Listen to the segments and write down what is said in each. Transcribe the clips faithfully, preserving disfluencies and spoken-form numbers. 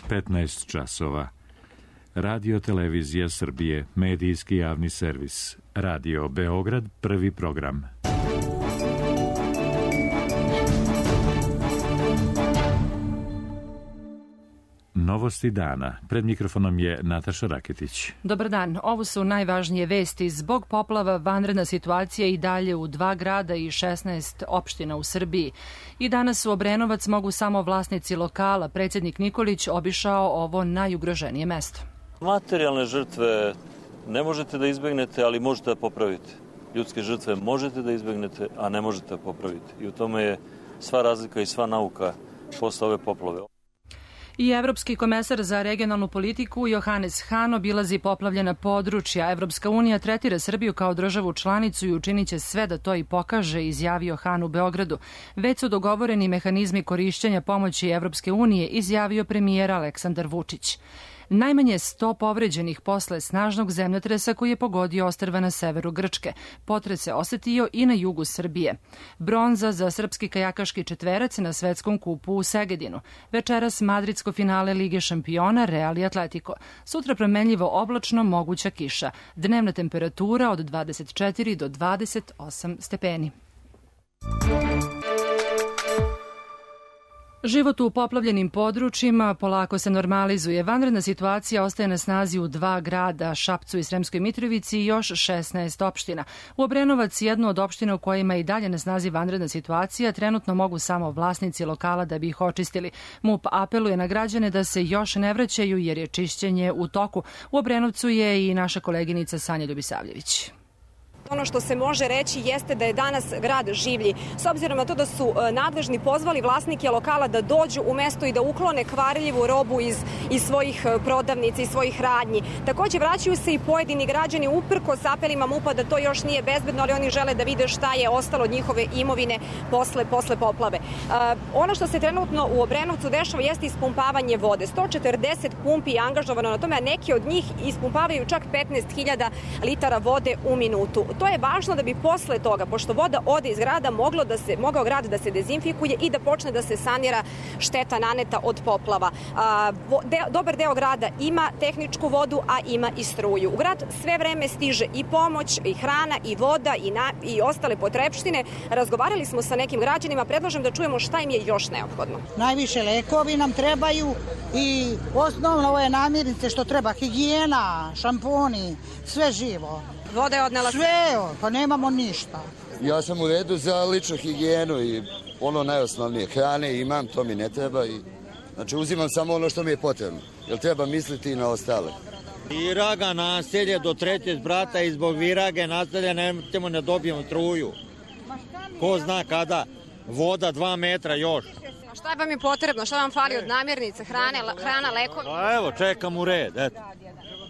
petnaest časova. Radio Televizija Srbije, medijski javni servis. Radio Beograd, prvi program. Novosti dana. Pred mikrofonom je Nataša Raketić. Dobar dan. Ovo su najvažnije vesti. Zbog poplava vanredna situacija i dalje u dva grada i šesnaest opština u Srbiji. I danas u Obrenovac mogu samo vlasnici lokala. Predsjednik Nikolić obišao ovo najugroženije mesto. Materijalne žrtve ne možete da izbegnete, ali možete da popravite. Ljudske žrtve možete da izbegnete, a ne možete da popravite. I u tome je sva razlika i sva nauka posle ove poplave. I Evropski komesar za regionalnu politiku Johannes Hahn obilazi poplavljena područja. Evropska unija tretira Srbiju kao državu članicu i učinit će sve da to i pokaže, izjavio Hahn u Beogradu. Već su dogovoreni mehanizmi korišćenja pomoći Evropske unije, izjavio premijer Aleksandar Vučić. Najmanje sto povređenih posle snažnog zemljotresa koji je pogodio ostrva na severu Grčke. Potres se osetio i na jugu Srbije. Bronza za srpski kajakaški četverac na svetskom kupu u Segedinu. Večeras madridsko finale Lige šampiona Real i Atletico. Sutra promenljivo oblačno, moguća kiša. Dnevna temperatura od dvadeset četiri do dvadeset osam stepeni. Život u poplavljenim područjima polako se normalizuje. Vanredna situacija ostaje na snazi u dva grada, Šapcu i Sremskoj Mitrovici i još šesnaest opština. U Obrenovac, jednu od opština u kojima je i dalje na snazi vanredna situacija, trenutno mogu samo vlasnici lokala da bi ih očistili. MUP apeluje na građane da se još ne vraćaju jer je čišćenje u toku. U Obrenovcu je i naša koleginica Sanja Ljubisavljević. Ono što se može reći jeste da je danas grad življi. S obzirom na to da su nadležni pozvali vlasnike lokala da dođu u mesto i da uklone kvarljivu robu iz, iz svojih prodavnica i svojih radnji. Takođe vraćaju se i pojedini građani uprkos apelima MUP-a da to još nije bezbedno, ali oni žele da vide šta je ostalo od njihove imovine posle, posle poplave. Uh, ono što se trenutno u Obrenovcu dešava jeste ispumpavanje vode. sto četrdeset pumpi je angažovano na tome, a neki od njih ispumpavaju čak petnaest hiljada litara vode u minutu. To je važno da bi posle toga, pošto voda ode iz grada, moglo da se, mogao grad da se dezinfikuje i da počne da se sanira šteta naneta od poplava. A, de, dobar deo grada ima tehničku vodu, a ima i struju. U grad sve vreme stiže i pomoć, i hrana, i voda, i, na, i ostale potrepštine. Razgovarali smo sa nekim građanima, predlažem da čujemo šta im je još neophodno. Najviše lekovi nam trebaju i osnovno ove namirnice što treba, higijena, šamponi, sve živo. Voda je odnela sve, pa nemamo ništa. Ja sam u redu za ličnu higijenu i ono najosnovnije. Hrane imam, to mi ne treba. I, znači uzimam samo ono što mi je potrebno. Jer treba misliti i na ostale. Viraga naselje do trećeg brata i zbog virage naselja ne ćemo ne dobijemo struju. Ko zna kada. Voda dva metra još. A šta vam je potrebno? Šta vam fali od namirnice, hrane, hrana, lekovi? Pa evo, čekam u red, eto.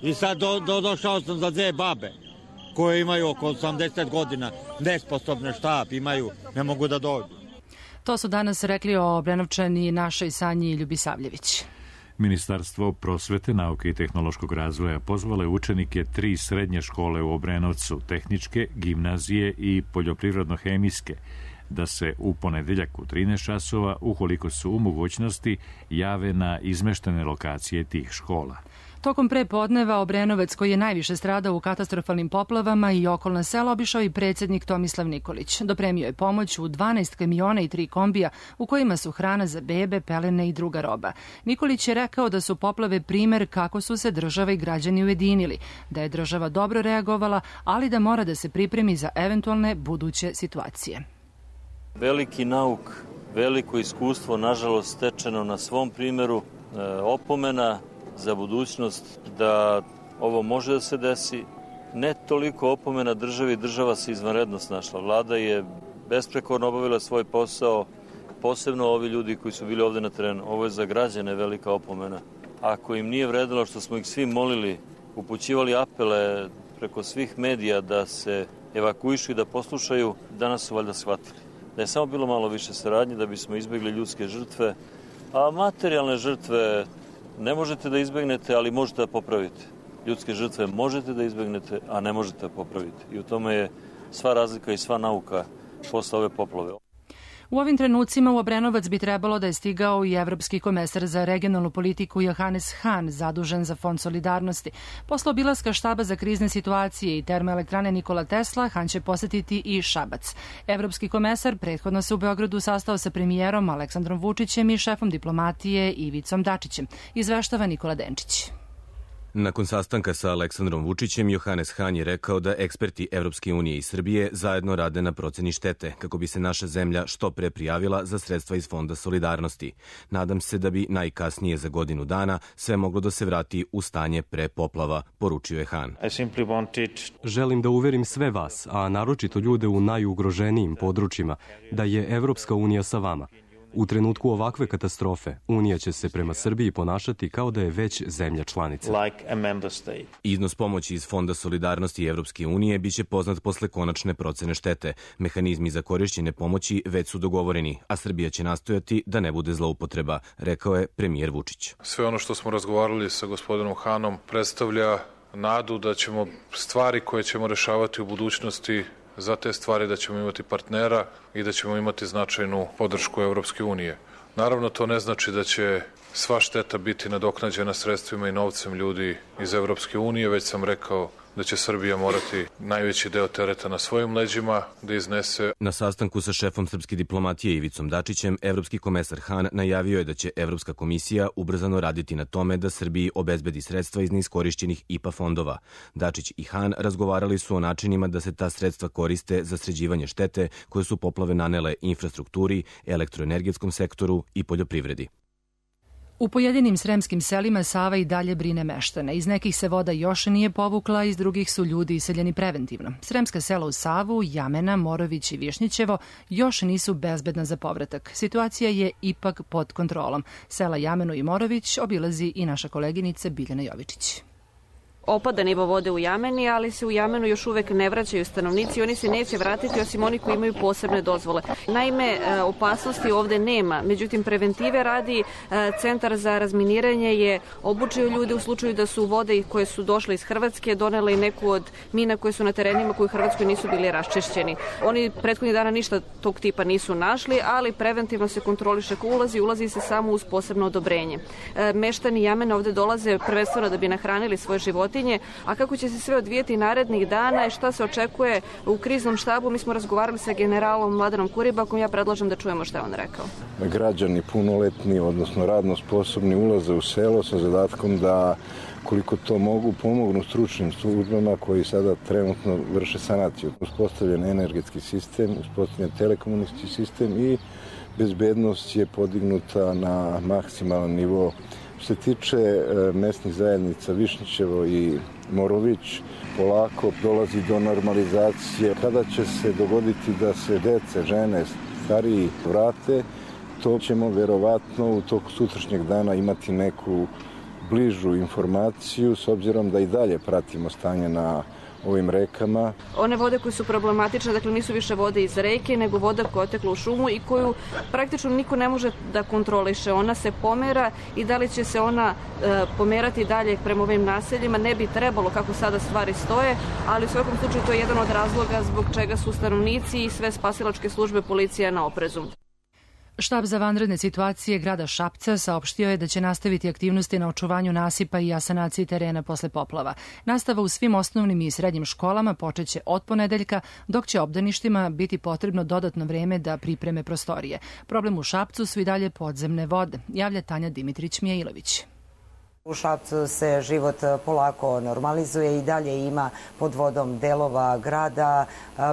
I sad do, do, došao sam za dve babe koje imaju oko osamdeset godina, nesposobne štap imaju, ne mogu da dođu. To su danas rekli o Obrenovčani našoj Sanji Ljubisavljević. Ministarstvo prosvete, nauke i tehnološkog razvoja pozvalo je učenike tri srednje škole u Obrenovcu, tehničke, gimnazije i poljoprivredno-hemijske, da se u ponedeljak u trinaest časova, ukoliko su u mogućnosti, jave na izmeštene lokacije tih škola. Tokom prepodneva Obrenovac, koji je najviše stradao u katastrofalnim poplavama i okolna sela, obišao i predsjednik Tomislav Nikolić. Dopremio je pomoć u dvanaest kamiona i tri kombija u kojima su hrana za bebe, pelene i druga roba. Nikolić je rekao da su poplave primer kako su se država i građani ujedinili, da je država dobro reagovala, ali da mora da se pripremi za eventualne buduće situacije. Veliki nauk, veliko iskustvo, nažalost stečeno na svom primjeru, e, opomena za budućnost da ovo može da se desi. Ne toliko opomena državi, država se izvanredno snašla. Vlada je besprekorno obavila svoj posao, posebno ovi ljudi koji su bili ovde na terenu. Ovo je za građane velika opomena. Ako im nije vredilo što smo ih svi molili, upućivali apele preko svih medija da se evakuišu i da poslušaju, danas su valjda shvatili. Da je samo bilo malo više saradnje da bismo izbjegli ljudske žrtve, a materijalne žrtve ne možete da izbegnete, ali možete da popravite. Ljudske žrtve možete da izbegnete, a ne možete da popravite. I u tome je sva razlika i sva nauka posle ove poplave. U ovim trenucima u Obrenovac bi trebalo da je stigao i evropski komesar za regionalnu politiku Johannes Hahn, zadužen za Fond solidarnosti. Posle obilaska štaba za krizne situacije i termoelektrane Nikola Tesla, Hahn će posetiti i Šabac. Evropski komesar prethodno se u Beogradu sastao sa premijerom Aleksandrom Vučićem i šefom diplomatije Ivicom Dačićem. Izveštava Nikola Denčić. Nakon sastanka sa Aleksandrom Vučićem, Johannes Hahn je rekao da eksperti Evropske unije i Srbije zajedno rade na proceni štete, kako bi se naša zemlja što pre prijavila za sredstva iz Fonda solidarnosti. Nadam se da bi najkasnije za godinu dana sve moglo da se vrati u stanje pre poplava, poručio je Hahn. Želim da uverim sve vas, a naročito ljude u najugroženijim područjima, da je Evropska unija sa vama. U trenutku ovakve katastrofe, Unija će se prema Srbiji ponašati kao da je već zemlja članica. Iznos pomoći iz Fonda solidarnosti Evropske unije biće poznat posle konačne procene štete. Mehanizmi za korišćenje pomoći već su dogovoreni, a Srbija će nastojati da ne bude zloupotreba, rekao je premijer Vučić. Sve ono što smo razgovarali sa gospodinom Hahnom predstavlja nadu da ćemo stvari koje ćemo rešavati u budućnosti, za te stvari da ćemo imati partnera i da ćemo imati značajnu podršku Evropske unije. Naravno, to ne znači da će sva šteta biti nadoknađena sredstvima i novcem ljudi iz Evropske unije, već sam rekao da će Srbija morati najveći deo tereta na svojim leđima da iznese. Na sastanku sa šefom srpske diplomatije Ivicom Dačićem, evropski komesar Hahn najavio je da će Evropska komisija ubrzano raditi na tome da Srbiji obezbedi sredstva iz neiskorišćenih I P A fondova. Dačić i Hahn razgovarali su o načinima da se ta sredstva koriste za sređivanje štete koje su poplave nanele infrastrukturi, elektroenergetskom sektoru i poljoprivredi. U pojedinim sremskim selima Sava i dalje brine meštane. Iz nekih se voda još nije povukla, iz drugih su ljudi iseljeni preventivno. Sremska sela u Savu, Jamena, Morović i Višnjićevo još nisu bezbedna za povratak. Situacija je ipak pod kontrolom. Sela Jamenu i Morović obilazi i naša koleginica Biljana Jovičić. Opada nivo vode u Jameni, ali se u Jamenu još uvek ne vraćaju stanovnici i oni se neće vratiti osim oni koji imaju posebne dozvole. Naime, opasnosti ovde nema, međutim preventive radi Centar za razminiranje je obučio ljude u slučaju da su vode koje su došle iz Hrvatske donele i neku od mina koje su na terenima koji u Hrvatskoj nisu bili raščišćeni. Oni prethodnih dana ništa tog tipa nisu našli, ali preventivno se kontroliše ko ulazi, ulazi se samo uz posebno odobrenje. Meštani Jamena ovde dolaze prvenstveno da bi nahranili svoje životinje. A kako će se sve odvijeti narednih dana i šta se očekuje u kriznom štabu, mi smo razgovarali sa generalom Mladenom Kuribakom, ja predlažem da čujemo šta je on rekao. Građani punoletni, odnosno radno sposobni, ulaze u selo sa zadatkom da koliko to mogu pomognu stručnim službama koji sada trenutno vrše sanaciju. Uspostavljen energetski sistem, uspostavljen telekomunikacijski sistem i bezbednost je podignuta na maksimalan nivo. Što se tiče mesnih zajednica Višnjićevo i Morović, polako dolazi do normalizacije. Kada će se dogoditi da se dece, žene, stariji vrate, to ćemo verovatno u toku sutrašnjeg dana imati neku bližu informaciju, s obzirom da i dalje pratimo stanje na ovim rekama. One vode koje su problematične, dakle nisu više vode iz reke, nego voda koja je otekla u šumu i koju praktično niko ne može da kontroliše. Ona se pomera i da li će se ona e, pomerati dalje prema ovim naseljima, ne bi trebalo kako sada stvari stoje, ali u svakom slučaju to je jedan od razloga zbog čega su stanovnici i sve spasilačke službe policija na oprezu. Štab za vanredne situacije grada Šapca saopštio je da će nastaviti aktivnosti na očuvanju nasipa i sanaciji terena posle poplava. Nastava u svim osnovnim i srednjim školama počeće od ponedeljka, dok će obdaništima biti potrebno dodatno vreme da pripreme prostorije. Problem u Šapcu su i dalje podzemne vode, javlja Tanja Dimitrić-Mijailović. U Šapcu se život polako normalizuje i dalje ima pod vodom delova grada,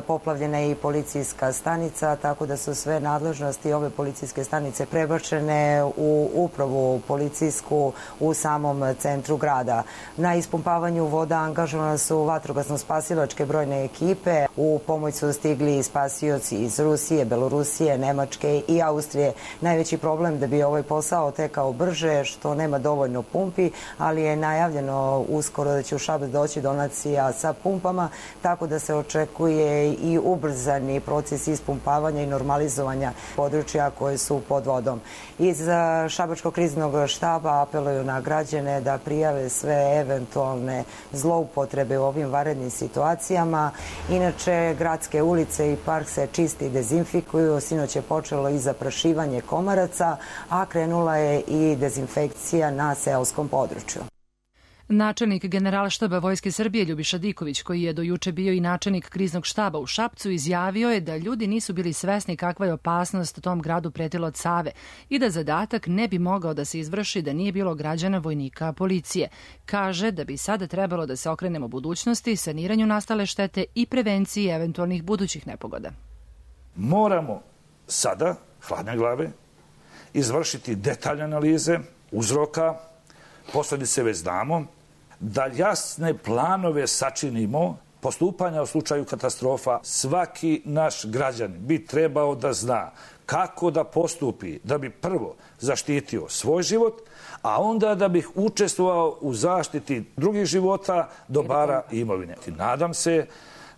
poplavljena je i policijska stanica, tako da su sve nadležnosti ove policijske stanice prebačene u upravu policijsku u samom centru grada. Na ispumpavanju voda angažovane su vatrogasno-spasilačke brojne ekipe, u pomoć su stigli spasioci iz Rusije, Belorusije, Nemačke i Austrije. Najveći problem da bi ovaj posao tekao brže, što nema dovoljno pumpi, pumpi, ali je najavljeno uskoro da će u Šabac doći donacija sa pumpama, tako da se očekuje i ubrzani proces ispumpavanja i normalizovanja područja koje su pod vodom. Iz Šabačkog kriznog štaba apeluju na građane da prijave sve eventualne zloupotrebe u ovim vanrednim situacijama. Inače, gradske ulice i park se čisti i dezinfikuju. Sinoć je počelo i zaprašivanje komaraca, a krenula je i dezinfekcija na seoskom području. Načelnik Generalštaba Vojske Srbije Ljubiša Diković, koji je do juče bio i načelnik kriznog štaba u Šapcu, izjavio je da ljudi nisu bili svesni kakva je opasnost tom gradu pretila od Save i da zadatak ne bi mogao da se izvrši da nije bilo građana, vojnika, policije. Kaže da bi sada trebalo da se okrenemo budućnosti, saniranju nastale štete i prevenciji eventualnih budućih nepogoda. Moramo sada, hladne glave, izvršiti detaljne analize uzroka, posledice već znamo, da jasne planove sačinimo postupanja u slučaju katastrofa. Svaki naš građanin bi trebao da zna kako da postupi da bi prvo zaštitio svoj život, a onda da bi učestvovao u zaštiti drugih života, dobara i imovine. Nadam se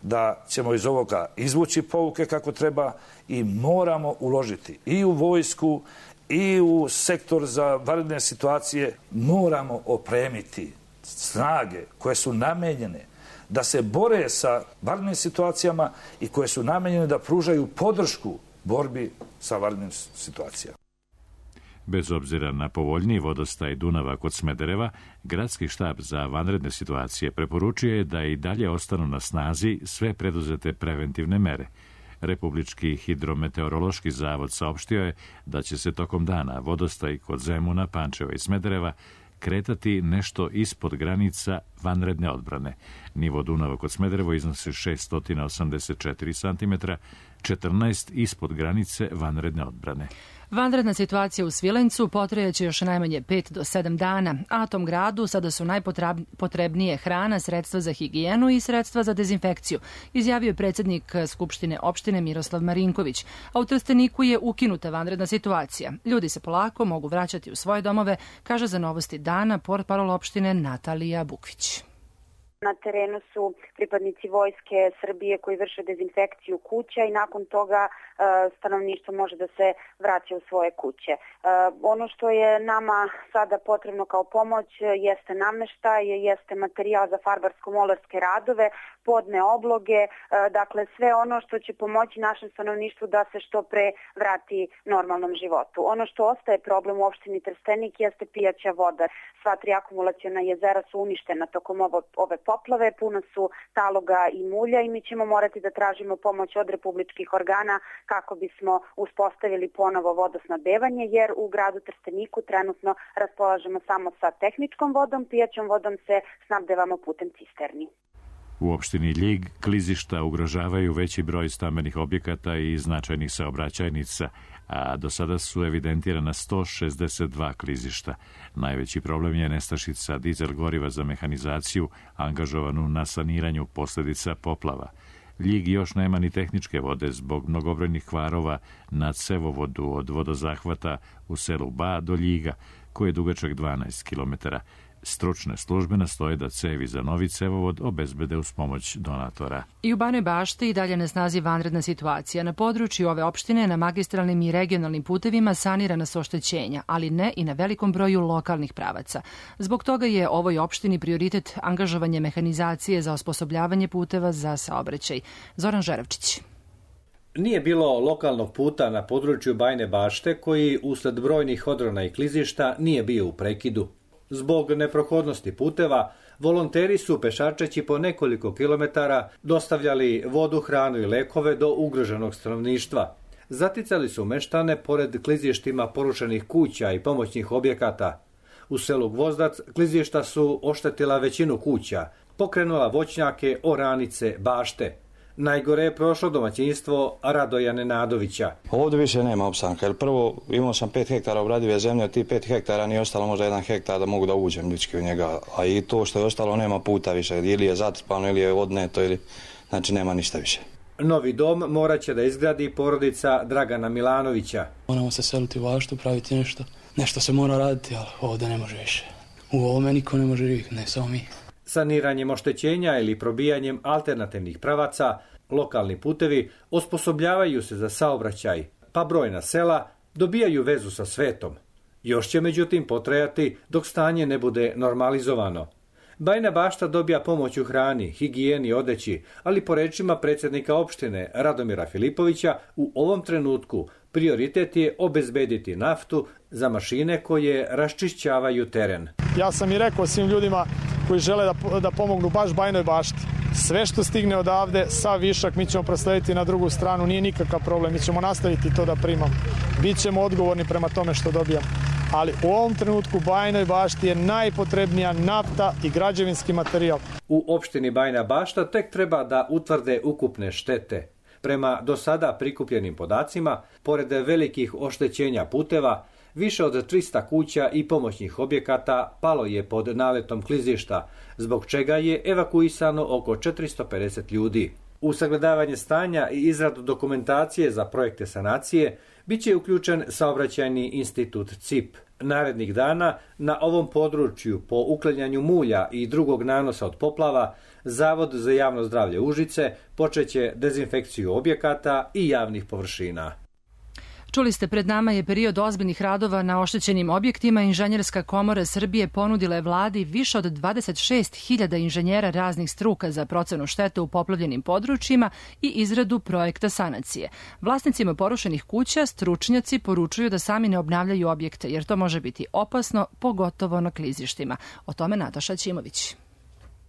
da ćemo iz ovoga izvući pouke kako treba i moramo uložiti i u vojsku i u sektor za vanredne situacije. Moramo opremiti snage koje su namenjene da se bore sa vanrednim situacijama i koje su namenjene da pružaju podršku borbi sa vanrednim situacijama. Bez obzira na povoljniji vodostaj Dunava kod Smedereva, Gradski štab za vanredne situacije preporučuje da i dalje ostanu na snazi sve preduzete preventivne mere. Republički hidrometeorološki zavod saopštio je da će se tokom dana vodostaj kod Zemuna, Pančeva i Smedereva kretati nešto ispod granica vanredne odbrane. Nivo Dunava kod Smederevo iznosi šessto osamdeset četiri centimetra, četrnaest ispod granice vanredne odbrane. Vanredna situacija u Svilencu potrajaće još najmanje pet do sedam dana, a tom gradu sada su najpotrebnije hrana, sredstva za higijenu i sredstva za dezinfekciju, izjavio je predsjednik Skupštine opštine Miroslav Marinković. A u Trsteniku je ukinuta vanredna situacija. Ljudi se polako mogu vraćati u svoje domove, kaže za Novosti dana portparol opštine Natalija Bukvić. Na terenu su pripadnici Vojske Srbije koji vrše dezinfekciju kuća i nakon toga e, stanovništvo može da se vraća u svoje kuće. E, ono što je nama sada potrebno kao pomoć jeste nameštaj, jeste materijal za farbarsko-molarske radove, podne obloge, e, dakle sve ono što će pomoći našem stanovništvu da se što pre vrati normalnom životu. Ono što ostaje problem u opštini Trstenik jeste pijaća voda. Sva tri akumulaciona jezera su uništena tokom ovo, ove poplave, puno su taloga i mulja i mi ćemo morati da tražimo pomoć od republičkih organa kako bismo uspostavili ponovo vodosnabdevanje, jer u gradu Trsteniku trenutno raspolažemo samo sa tehničkom vodom, pijaćom vodom se snabdevamo putem cisterni. U opštini Ljig klizišta ugrožavaju veći broj stambenih objekata i značajnih saobraćajnica, a do sada su evidentirana sto šezdeset dva klizišta. Najveći problem je nestašica dizel goriva za mehanizaciju angažovanu na saniranju posledica poplava. Ljig još nema ni tehničke vode zbog mnogobrojnih kvarova na cevovodu od vodozahvata u selu Ba do Ljiga, koji je dugačak dvanaest kilometara. Stručne službe nastoje da cevi za novi cevovod obezbede uz pomoć donatora. I u Banoj Bašti i dalje na snazi vanredna situacija. Na području ove opštine na magistralnim i regionalnim putevima sanirana su oštećenja, ali ne i na velikom broju lokalnih pravaca. Zbog toga je ovoj opštini prioritet angažovanje mehanizacije za osposobljavanje puteva za saobraćaj. Zoran Žerevčić. Nije bilo lokalnog puta na području Bajne Bašte koji usled brojnih odrona i klizišta nije bio u prekidu. Zbog neprohodnosti puteva, volonteri su pešačeći po nekoliko kilometara dostavljali vodu, hranu i lekove do ugroženog stanovništva. Zaticali su meštane pored klizištima porušenih kuća i pomoćnih objekata. U selu Gvozdac klizišta su oštetila većinu kuća, pokrenula voćnjake, oranice, bašte. Najgore je prošlo domaćinstvo Radoja Nenadovića. Ovdje više nema opstanka, jer prvo imao sam pet hektara obradive zemlje, od tih pet hektara nije ostalo možda jedan hektar da mogu da uđem ljudski u njega, a i to što je ostalo nema puta više, ili je zatrpano, ili je odneto, ili znači nema ništa više. Novi dom morat će da izgradi porodica Dragana Milanovića. Moramo se seliti u Baštu, praviti nešto, nešto se mora raditi, ali ovdje ne može više. U ovome niko ne može živjeti, ne samo mi. Saniranjem oštećenja ili probijanjem alternativnih pravaca, lokalni putevi osposobljavaju se za saobraćaj, pa brojna sela dobijaju vezu sa svetom. Još će međutim potrajati dok stanje ne bude normalizovano. Bajina Bašta dobija pomoć u hrani, higijeni, odeći, ali po rečima predsjednika opštine Radomira Filipovića u ovom trenutku prioritet je obezbediti naftu za mašine koje raščišćavaju teren. Ja sam i rekao svim ljudima koji žele da, da pomognu baš Bajinoj Bašti. Sve što stigne odavde, sav višak mi ćemo proslediti na drugu stranu, nije nikakav problem, mi ćemo nastaviti to da primamo. Bićemo odgovorni prema tome što dobijamo. Ali u ovom trenutku Bajinoj Bašti je najpotrebnija nafta i građevinski materijal. U opštini Bajina Bašta tek treba da utvrde ukupne štete. Prema do sada prikupljenim podacima, pored velikih oštećenja puteva, više od trista kuća i pomoćnih objekata palo je pod naletom klizišta, zbog čega je evakuisano oko četiristo pedeset ljudi. U sagledavanje stanja i izradu dokumentacije za projekte sanacije biće uključen saobraćajni institut C I P. Narednih dana na ovom području po uklanjanju mulja i drugog nanosa od poplava Zavod za javno zdravlje Užice počeće dezinfekciju objekata i javnih površina. Čuli ste, pred nama je period ozbiljnih radova na oštećenim objektima. Inženjerska komora Srbije ponudila je vladi više od dvadeset šest hiljada inženjera raznih struka za procenu štete u poplavljenim područjima i izradu projekta sanacije. Vlasnicima porušenih kuća stručnjaci poručuju da sami ne obnavljaju objekte, jer to može biti opasno, pogotovo na klizištima. O tome Nataša Ćimović.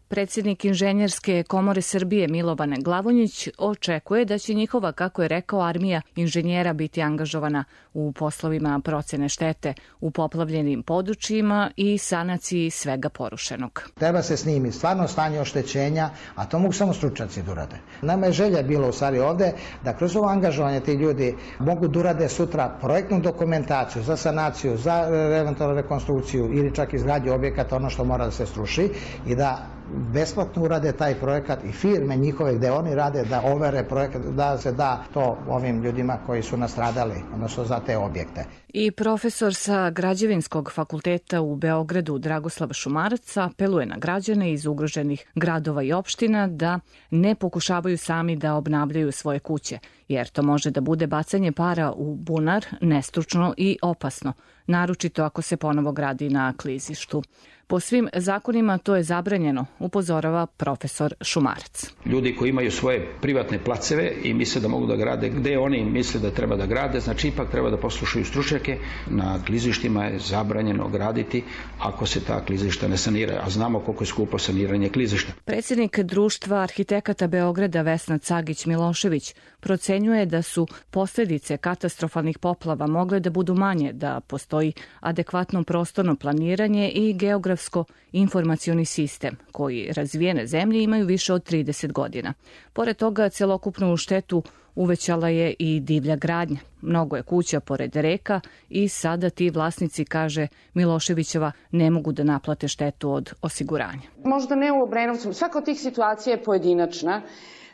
Predsjednik Inženjerske komore Srbije Milovan Glavonjić očekuje da će njihova, kako je rekao, armija inženjera biti angažovana u poslovima procene štete u poplavljenim područjima i sanaciji svega porušenog. Treba se snimi stvarno stanje oštećenja, a to mogu samo stručnjaci da urade. Nama je želja bilo u stvari ovde da kroz ovo angažovanje ti ljudi mogu da urade sutra projektnu dokumentaciju za sanaciju, za eventualnu rekonstrukciju ili čak izgradnju objekata, ono što mora da se sruši, i da besplatno urade taj projekat i firme njihove gde oni rade da overe projekat, da se da to ovim ljudima koji su nastradali, odnosno za te objekte. I profesor sa Građevinskog fakulteta u Beogradu Dragoslav Šumarac apeluje na građane iz ugroženih gradova i opština da ne pokušavaju sami da obnavljaju svoje kuće, jer to može da bude bacanje para u bunar, nestručno i opasno, naročito ako se ponovo gradi na klizištu. Po svim zakonima to je zabranjeno, upozorava profesor Šumarac. Ljudi koji imaju svoje privatne placeve i misle da mogu da grade gde oni misle da treba da grade, znači ipak treba da poslušaju stručnjake. Na klizištima je zabranjeno graditi ako se ta klizišta ne sanira, a znamo koliko je skupo saniranje klizišta. Predsjednik Društva arhitekata Beograda Vesna Cagić-Milošević procenjuje da su posljedice katastrofalnih poplava mogle da budu manje, da postoji adekvatno prostorno planiranje i geografsko-informacioni sistem, koji razvijene zemlje imaju više od trideset godina. Pored toga, celokupnu štetu uvećala je i divlja gradnja. Mnogo je kuća pored reka i sada ti vlasnici, kaže Miloševićeva, ne mogu da naplate štetu od osiguranja. Možda ne u Obrenovcu, svaka od tih situacija je pojedinačna,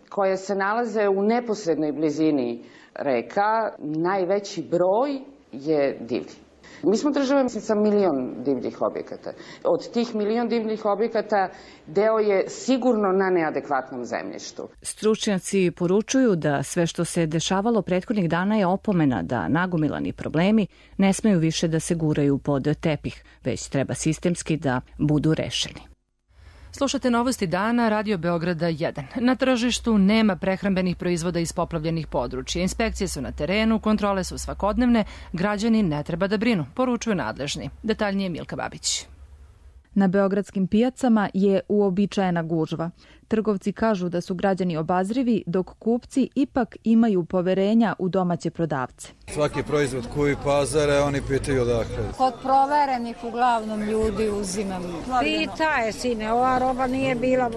koje se nalaze u neposrednoj blizini reka. Najveći broj je divlji. Mi smo država sa milion divljih objekata. Od tih milion divljih objekata deo je sigurno na neadekvatnom zemljištu. Stručnjaci poručuju da sve što se dešavalo prethodnih dana je opomena da nagomilani problemi ne smeju više da se guraju pod tepih, već treba sistemski da budu rešeni. Slušate novosti dana, Radio Beograda jedan. Na tržištu nema prehrambenih proizvoda iz poplavljenih područja. Inspekcije su na terenu, kontrole su svakodnevne, građani ne treba da brinu, poručuju nadležni. Detaljnije Milka Babić. Na beogradskim pijacama je uobičajena gužva. Trgovci kažu da su građani obazrivi, dok kupci ipak imaju poverenja u domaće prodavce. Svaki proizvod koji pazare, oni pitaju odakle. Kod proverenih uglavnom ljudi uzimam. Pita je, sine, ova roba nije bila,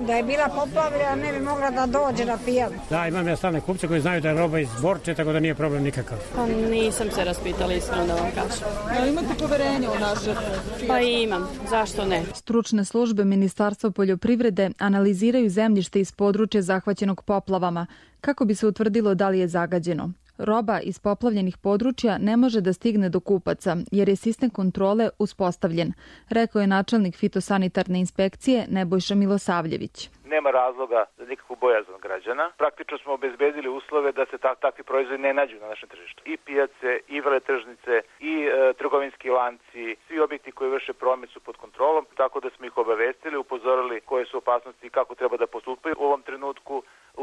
da je bila poplavljena, ne bi mogla da dođe na pijac. Da, imam ja stalne kupce koji znaju da je roba iz Borče, tako da nije problem nikakav. Pa nisam se raspitala, iskreno da vam kažem. Ali imate poverenje u naše pijace? Pa imam, zašto ne? Stručne službe Ministarstva poljoprivrede analiziraju zemljište iz područja zahvaćenog poplavama kako bi se utvrdilo da li je zagađeno. Roba iz poplavljenih područja ne može da stigne do kupaca, jer je sistem kontrole uspostavljen, rekao je načelnik fitosanitarne inspekcije Nebojša Milosavljević. Nema razloga za nikakvu bojazan građana. Praktično smo obezbedili uslove da se ta, takvi proizvodi ne nađu na našem tržištu. I pijace, i veletržnice, i e, trgovinski lanci, svi objekti koji vrše promet su pod kontrolom, tako da smo ih obavestili, upozorili koje su opasnosti i kako treba da postupaju u ovom trenutku.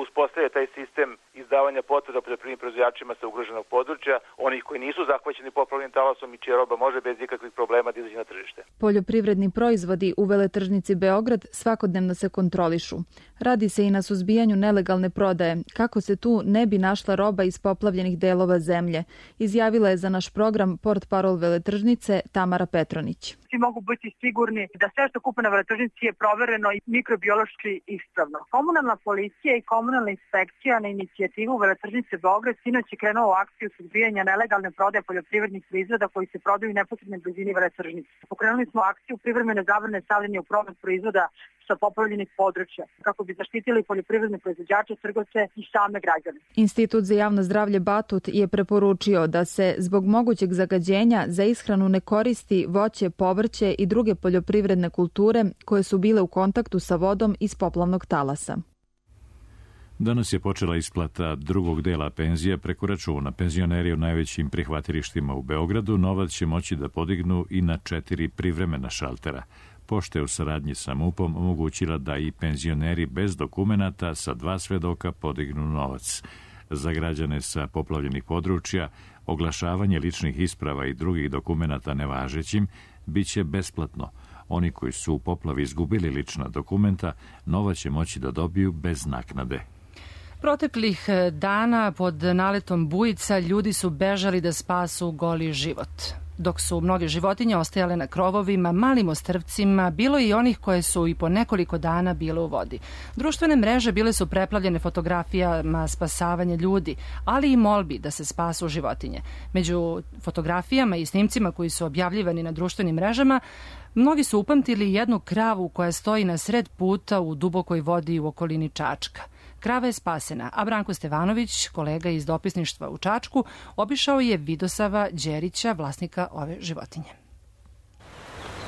Uspostavlja taj sistem izdavanja potvrda poljoprivrednim proizvođačima sa ugroženog područja, onih koji nisu zahvaćeni poplavnim talasom i čija roba može bez ikakvih problema da izađe na tržište. Poljoprivredni proizvodi u veletržnici Beograd svakodnevno se kontrolišu. Radi se i na suzbijanju nelegalne prodaje, kako se tu ne bi našla roba iz poplavljenih delova zemlje, izjavila je za naš program portparol veletržnice Tamara Petronić. Svi mogu biti sigurni da sve što kupe na veletržnici je provereno i mikrobiološki ispravno. Komunalna policija i komunalna inspekcija na inicijativu veletržnice Beograd sinoć je krenuo u akciju suzbijanja nelegalne prodaje poljoprivrednih proizvoda koji se prodaju u neposrednoj blizini veletržnice. Pokrenuli smo akciju privremene zabrane stavljanja u promet proizvoda sa poplavljenih područja, kako bi zaštitili poljoprivredne proizvođače, trgovce i same građane. Institut za javno zdravlje Batut je preporučio da se zbog mogućeg zagađenja za ishranu ne koristi voće, povrće i druge poljoprivredne kulture koje su bile u kontaktu sa vodom iz poplavnog talasa. Danas je počela isplata drugog dela penzija preko računa. Penzioneri u najvećim prihvatilištima u Beogradu novac će moći da podignu i na četiri privremena šaltera. Pošta je u saradnji sa MUP-om omogućila da i penzioneri bez dokumenata sa dva svedoka podignu novac. Za građane sa poplavljenih područja oglašavanje ličnih isprava i drugih dokumenata nevažećim biće besplatno. Oni koji su u poplavi izgubili lična dokumenta, novac će moći da dobiju bez naknade. Proteklih dana pod naletom bujica ljudi su bežali da spasu goli život. Dok su mnoge životinje ostajale na krovovima, malim ostrvcima, bilo i onih koje su i po nekoliko dana bile u vodi. Društvene mreže bile su preplavljene fotografijama spasavanja ljudi, ali i molbi da se spasu životinje. Među fotografijama i snimcima koji su objavljivani na društvenim mrežama, mnogi su upamtili jednu kravu koja stoji na sred puta u dubokoj vodi u okolini Čačka. Krava je spasena, a Branko Stevanović, kolega iz dopisništva u Čačku, obišao je Vidosava Đerića, vlasnika ove životinje.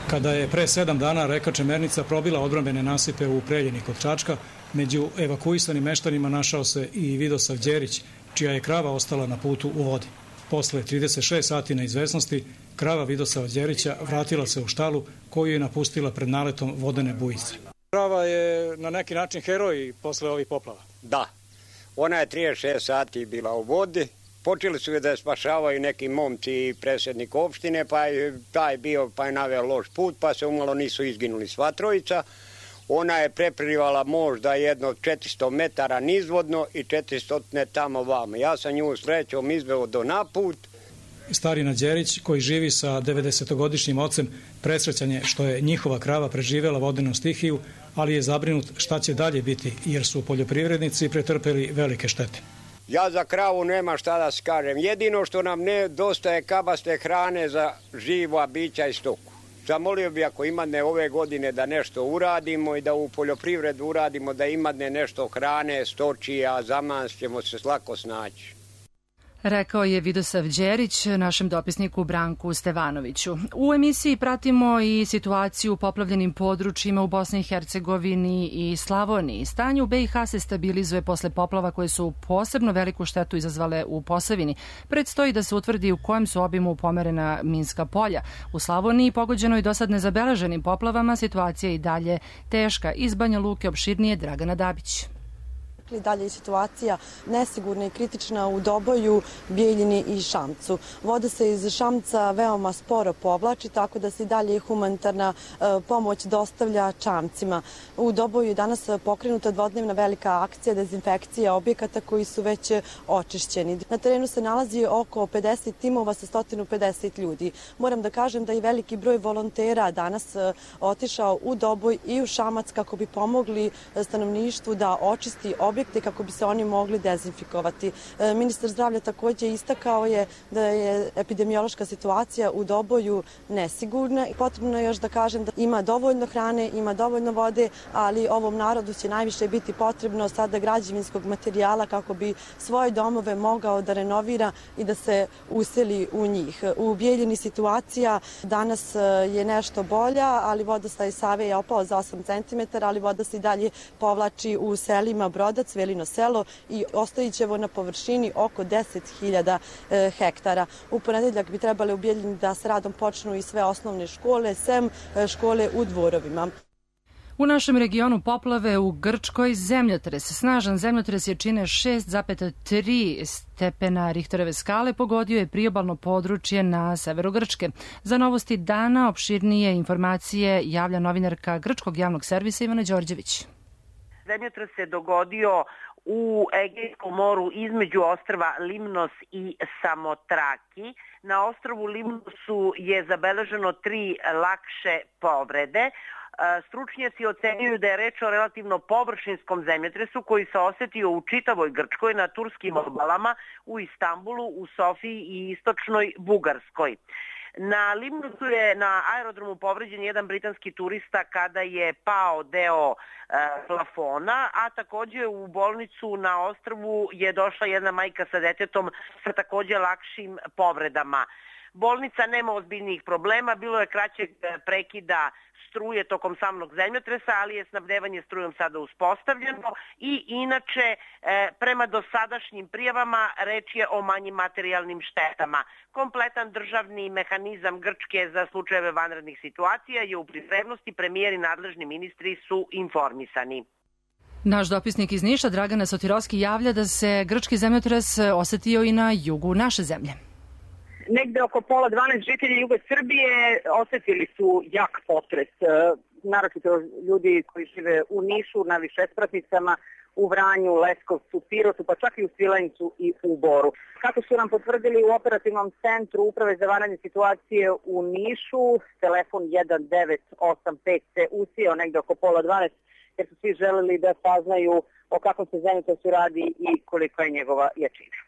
Kada je pre sedam dana reka Čemernica probila odbrambene nasipe u Preljini kod Čačka, među evakuisanim meštanima našao se i Vidosav Đerić, čija je krava ostala na putu u vodi. Posle trideset šest sati neizvesnosti, krava Vidosava Đerića vratila se u štalu koju je napustila pred naletom vodene bujice. Krava je na neki način heroj posle ovih poplava. Da, ona je trideset šest sati bila u vodi, počeli su da je spašavaju neki momci i predsjednik opštine, pa je taj bio, pa je naveo loš put, pa se umalo nisu izginuli sva trojica. Ona je preplivala možda jedno četiristo metara nizvodno i četiristo tamo vamo. Ja sam nju srećom izveo do naput. Starina Đerić, koji živi sa devedesetogodišnjim ocem, presrećan je što je njihova krava preživjela vodenu stihiju, ali je zabrinut šta će dalje biti, jer su poljoprivrednici pretrpeli velike štete. Ja za kravu nema šta da skažem. Jedino što nam ne dostaje kabaste hrane za živa bića i stoku. Zamolio bi ako imadne ove godine da nešto uradimo i da u poljoprivredu uradimo da imadne nešto hrane, stočija, zaman ćemo se lako snaći. Rekao je Vidosav Đerić našem dopisniku Branku Stevanoviću. U emisiji pratimo i situaciju u poplavljenim područjima u Bosni i Hercegovini i Slavoniji. Stanje u B i H se stabilizuje posle poplava koje su posebno veliku štetu izazvale u Posavini. Predstoji da se utvrdi u kojem su obimu pomerena minska polja. U Slavoniji, pogođenoj dosad nezabeleženim poplavama, situacija je i dalje teška. Iz Banja Luke opširnije Dragana Dabić. I dalje je situacija nesigurna i kritična u Doboju, Bijeljini i Šamcu. Voda se iz Šamca veoma sporo povlači, tako da se i dalje humanitarna pomoć dostavlja Čamcima. U Doboju je danas pokrenuta dvodnevna velika akcija dezinfekcije objekata koji su već očišćeni. Na terenu se nalazi oko pedeset timova sa sto pedeset ljudi. Moram da kažem da je veliki broj volontera danas otišao u Doboj i u Šamac kako bi pomogli stanovništvu da očisti objekata objekte kako bi se oni mogli dezinfikovati. Ministar zdravlja takođe istakao je da je epidemiološka situacija u Doboju nesigurna. Potrebno je još da kažem da ima dovoljno hrane, ima dovoljno vode, ali ovom narodu će najviše biti potrebno sada građevinskog materijala kako bi svoje domove mogao da renovira i da se useli u njih. U Bijeljini situacija danas je nešto bolja, ali vodostaj Save je opao za osam centimetara, ali voda se i dalje povlači u selima Brodac, Velino selo i Ostojićevo na površini oko deset hiljada hektara. U ponedeljak bi trebale u Bijeljini da s radom počnu i sve osnovne škole, sem škole u Dvorovima. U našem regionu poplave, u Grčkoj zemljotres. Snažan zemljotres je čine šest zarez tri stepena Richterove skale, pogodio je priobalno područje na severu Grčke. Za Novosti dana opširnije informacije javlja novinarka Grčkog javnog servisa Ivana Đorđević. Zemljotres se dogodio u Egejskom moru između ostrva Limnos i Samotraki. Na ostrvu Limnosu je zabeleženo tri lakše povrede. Stručnjaci ocenjuju da je reč o relativno površinskom zemljotresu koji se osetio u čitavoj Grčkoj, na turskim obalama, u Istanbulu, u Sofiji i istočnoj Bugarskoj. Na Limnosu je na aerodromu povređen jedan britanski turista kada je pao deo e, plafona, a takođe u bolnicu na ostrvu je došla jedna majka sa detetom sa takođe lakšim povredama. Bolnica nema ozbiljnijih problema, bilo je kraćeg prekida struje tokom samog zemljotresa, ali je snabdevanje strujom sada uspostavljeno i inače prema dosadašnjim prijavama reč je o manjim materijalnim štetama. Kompletan državni mehanizam Grčke za slučajeve vanrednih situacija je u pripremnosti, premijer i nadležni ministri su informisani. Naš dopisnik iz Niša, Dragana Sotirovski, javlja da se grčki zemljotres osetio i na jugu naše zemlje. Negde oko pola dvanaest žitelji juga Srbije osetili su jak potres. Naročito ljudi koji žive u Nišu, na višespratnicama, u Vranju, Leskovcu, Pirotu, pa čak i u Svilajncu i u Boru. Kako su nam potvrdili u operativnom centru Uprave za vanredne situacije u Nišu, telefon jedan devet osam pet se usijao negde oko pola dvanaest, jer su svi želeli da saznaju o kakvom se zemljotresu radi i kolika je njegova jačina.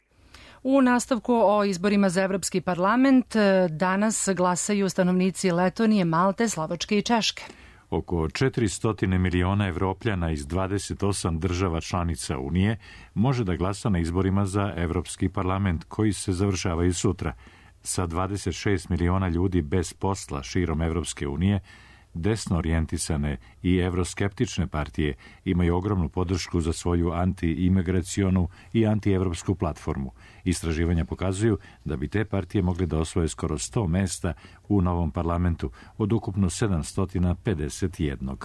U nastavku o izborima za Evropski parlament danas glasaju stanovnici Letonije, Malte, Slovačke i Češke. Oko četiristo miliona Evropljana iz dvadeset osam država članica Unije može da glasa na izborima za Evropski parlament koji se završavaju sutra. Sa dvadeset šest miliona ljudi bez posla širom Evropske unije, desno orijentisane i evroskeptične partije imaju ogromnu podršku za svoju anti-imigracionu i anti-evropsku platformu. Istraživanja pokazuju da bi te partije mogli da osvoje skoro sto mesta u novom parlamentu od ukupno sedamsto pedeset jedan.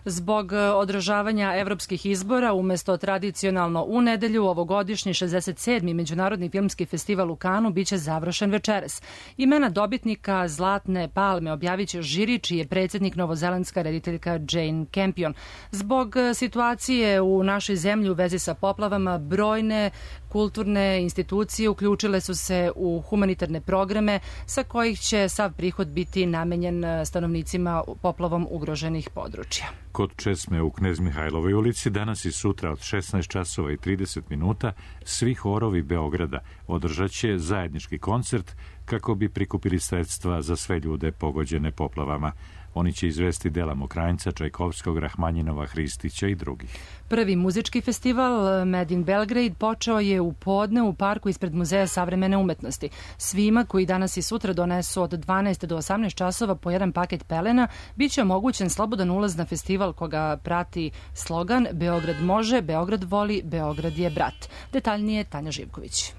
Zbog održavanja evropskih izbora, umesto tradicionalno u nedelju, ovogodišnji šezdeset sedmi Međunarodni filmski festival u Kanu biće završen večeras. Imena dobitnika Zlatne palme objavit će žiri, čiji je predsjednik novozelandska rediteljka Jane Campion. Zbog situacije u našoj zemlji u vezi sa poplavama, brojne kulturne institucije uključile su se u humanitarne programe sa kojih će sav prihod biti namenjen stanovnicima poplavom ugroženih područja. Kod česme u Knez Mihajlovoj ulici danas i sutra od šesnaest časova i trideset minuta svi horovi Beograda održat će zajednički koncert kako bi prikupili sredstva za sve ljude pogođene poplavama. Oni će izvesti dela Mokranjca, Čajkovskog, Rahmanjinova, Hristića i drugih. Prvi muzički festival Made in Belgrade počeo je u podne u parku ispred Muzeja savremene umetnosti. Svima koji danas i sutra donesu od dvanaest do osamnaest časova po jedan paket pelena, bit će omogućen slobodan ulaz na festival koga prati slogan Beograd može, Beograd voli, Beograd je brat. Detaljnije Tanja Živković.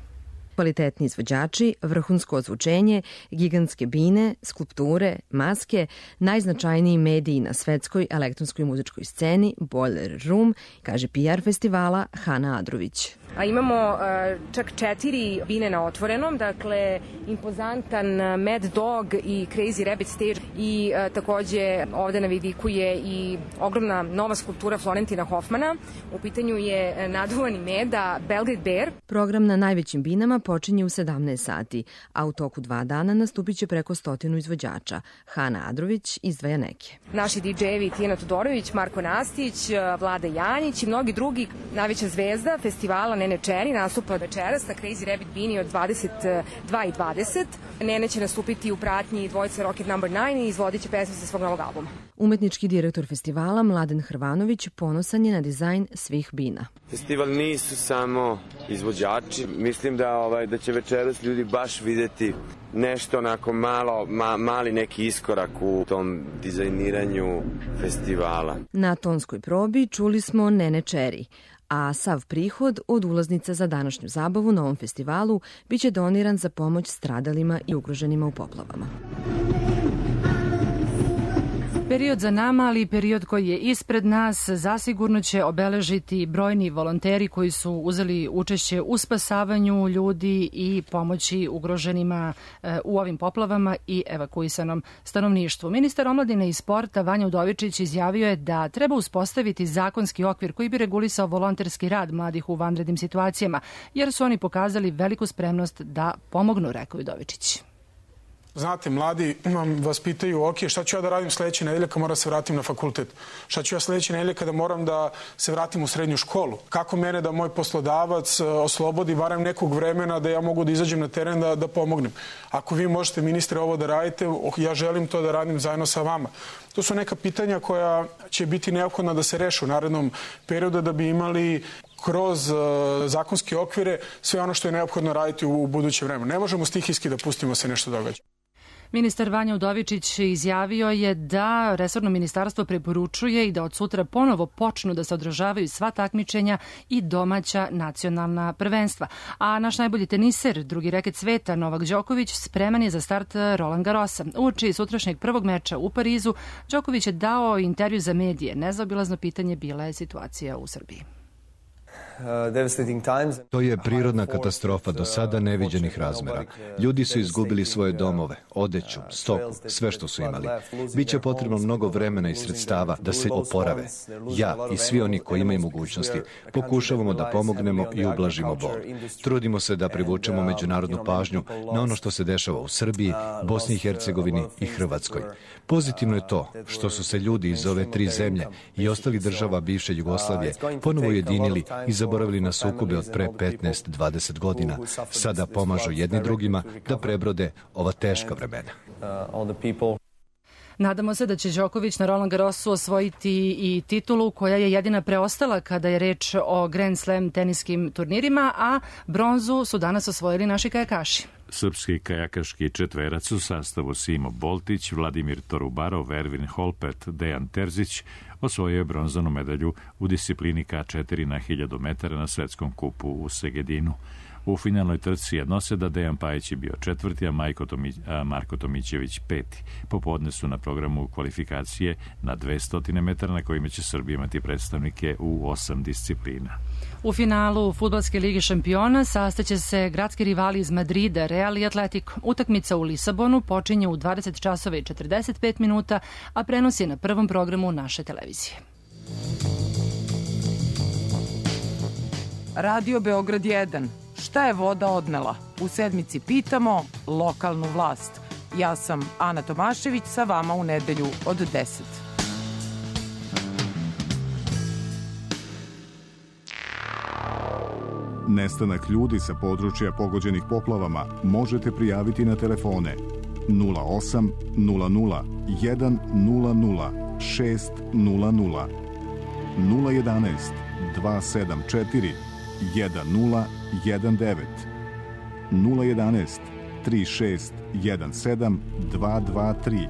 Kvalitetni izvođači, vrhunsko ozvučenje, gigantske bine, skulpture, maske, najznačajniji mediji na svetskoj elektronskoj muzičkoj sceni Boiler Room, kaže P R festivala Hana Adrović. A imamo uh, čak četiri bine na otvorenom, dakle impozantan Mad Dog i Crazy Rabbit Stage i uh, takođe ovde na vidiku je i ogromna nova skulptura Florentina Hoffmana. U pitanju je naduvani meda Belgrade Bear. Program na najvećim binama počinje u sedamnaest sati, a u toku dva dana nastupit će preko stotinu izvođača. Hana Adrović izdvaja neke. Naši didžejevi Tijena Todorović, Marko Nastić, Vlada Janjić i mnogi drugi. Najveća zvezda festivala Nene Čeri nastupa večeras na Crazy Rabbit Bini od dvadeset dva i dvadeset. Nene će nastupiti u pratnji dvojice Rocket Number nine i izvodit će pesme sa svog novog albuma. Umetnički direktor festivala Mladen Hrvanović ponosan je na dizajn svih bina. Festival nisu samo izvođači. Mislim da ovaj da će večeras ljudi baš videti nešto onako malo, ma, mali neki iskorak u tom dizajniranju festivala. Na tonskoj probi čuli smo Nene Čeri, a sav prihod od ulaznica za današnju zabavu na ovom festivalu biće doniran za pomoć stradalima i ugroženima u poplavama. Period za nama, ali i period koji je ispred nas, zasigurno će obeležiti brojni volonteri koji su uzeli učešće u spasavanju ljudi i pomoći ugroženima u ovim poplavama i evakuisanom stanovništvu. Ministar omladine i sporta Vanja Udovičić izjavio je da treba uspostaviti zakonski okvir koji bi regulisao volonterski rad mladih u vanrednim situacijama, jer su oni pokazali veliku spremnost da pomognu, rekao Udovičić. Znate, mladi vas pitaju, ok, šta ću ja da radim sledeće nedelje kad moram da se vratim na fakultet? Šta ću ja sledeće nedelje kada moram da se vratim u srednju školu? Kako mene da moj poslodavac oslobodi barem nekog vremena da ja mogu da izađem na teren da, da pomognem? Ako vi možete, ministre, ovo da radite, ja želim to da radim zajedno sa vama. To su neka pitanja koja će biti neophodna da se reše u narednom periodu da bi imali kroz uh, zakonske okvire sve ono što je neophodno raditi u, u buduće vreme. Ne možemo stihijski da pustimo se nešto događa. Ministar Vanja Udovičić izjavio je da resorno ministarstvo preporučuje i da od sutra ponovo počnu da se održavaju sva takmičenja i domaća nacionalna prvenstva. A naš najbolji teniser, drugi reket sveta, Novak Đoković, spreman je za start Roland Garrosa. Uoči sutrašnjeg prvog meča u Parizu, Đoković je dao intervju za medije. Nezaobilazno pitanje bila je situacija u Srbiji. To je prirodna katastrofa do sada neviđenih razmera. Ljudi su izgubili svoje domove, odeću, stoku, sve što su imali. Biće potrebno mnogo vremena i sredstava da se oporave. Ja i svi oni koji imaju mogućnosti pokušavamo da pomognemo i ublažimo bol. Trudimo se da privučemo međunarodnu pažnju na ono što se dešava u Srbiji, Bosni i Hercegovini i Hrvatskoj. Pozitivno je to što su se ljudi iz ove tri zemlje i ostalih država bivše Jugoslavije ponovo ujedinili i zaboravili na sukobe od pre petnaest do dvadeset godina. Sada pomažu jedni drugima da prebrode ova teška vremena. Nadamo se da će Đoković na Roland Garrosu osvojiti i titulu koja je jedina preostala kada je reč o Grand Slam teniskim turnirima, a bronzu su danas osvojili naši kajakaši. Srpski kajakaški četverac u sastavu Simo Boltić, Vladimir Torubarov, Ervin Holpet, Dejan Terzić osvojio je bronzanu medalju u disciplini K četiri na hiljadu metara na svetskom kupu u Segedinu. U finalnoj trci jednoseda Dejan Pajić je bio četvrti, a, Tomi, a Marko Tomićević peti. Popodne su na programu kvalifikacije na dvesta metara na kojima će Srbija imati predstavnike u osam disciplina. U finalu Fudbalske lige šampiona sastaće se gradski rivali iz Madrida, Real i Atletico. Utakmica u Lisabonu počinje u dvadeset časova i četrdeset pet minuta, a prenos je na prvom programu naše televizije. Radio Beograd jedan. Šta je voda odnela? U sedmici pitamo lokalnu vlast. Ja sam Ana Tomašević, sa vama u nedelju od deset. Nestanak ljudi sa područja pogođenih poplavama možete prijaviti na telefone nula osam nula nula jedan nula nula šest nula nula, nula jedanaest dva sedam četiri jedan nula jedan devet, nula jedanaest tri šest jedan sedam dva dva tri,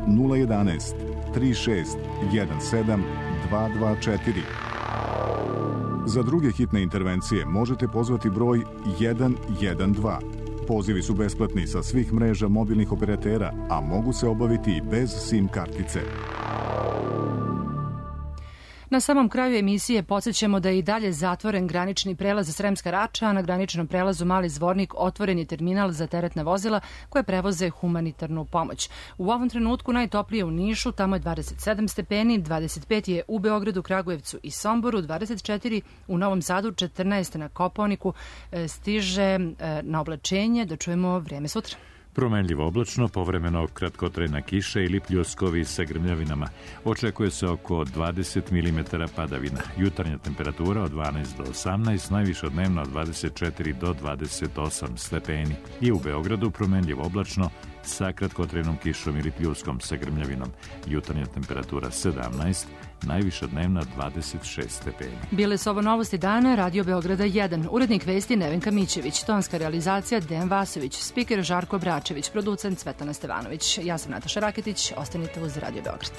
nula jedanaest tri šest jedan sedam dva dva četiri. Za druge hitne intervencije možete pozvati broj jedan jedan dva. Pozivi su besplatni sa svih mreža mobilnih operatera, a mogu se obaviti i bez SIM kartice. Na samom kraju emisije podsjećamo da je i dalje zatvoren granični prelaz Sremska Rača, a na graničnom prelazu Mali Zvornik otvoren je terminal za teretna vozila koje prevoze humanitarnu pomoć. U ovom trenutku najtoplije u Nišu, tamo je dvadeset sedam stepeni, dvadeset pet je u Beogradu, Kragujevcu i Somboru, dvadeset četiri u Novom Sadu, četrnaest na Kopaoniku, stiže na oblačenje. Da čujemo vreme sutra. Promenljivo oblačno, povremeno kratkotrajna kiša ili pljuskovi sa grmljavinama. Očekuje se oko dvadeset milimetara padavina. Jutarnja temperatura od dvanaest do osamnaest, najviša dnevna od dvadeset četiri do dvadeset osam stepeni. I u Beogradu promenljivo oblačno sa kratkotrajnom kišom ili pljuskom sa grmljavinom. Jutarnja temperatura sedamnaest, najviša dnevna dvadeset šest stepeni. Bile su ovo novosti dana, Radio Beograda jedan. Urednik vesti Nevenka Mićević, tonska realizacija Dejan Vasović, spiker Žarko Bračević, producent Cvetana Stevanović. Ja sam Nataša Raketić, ostanite uz Radio Beograd.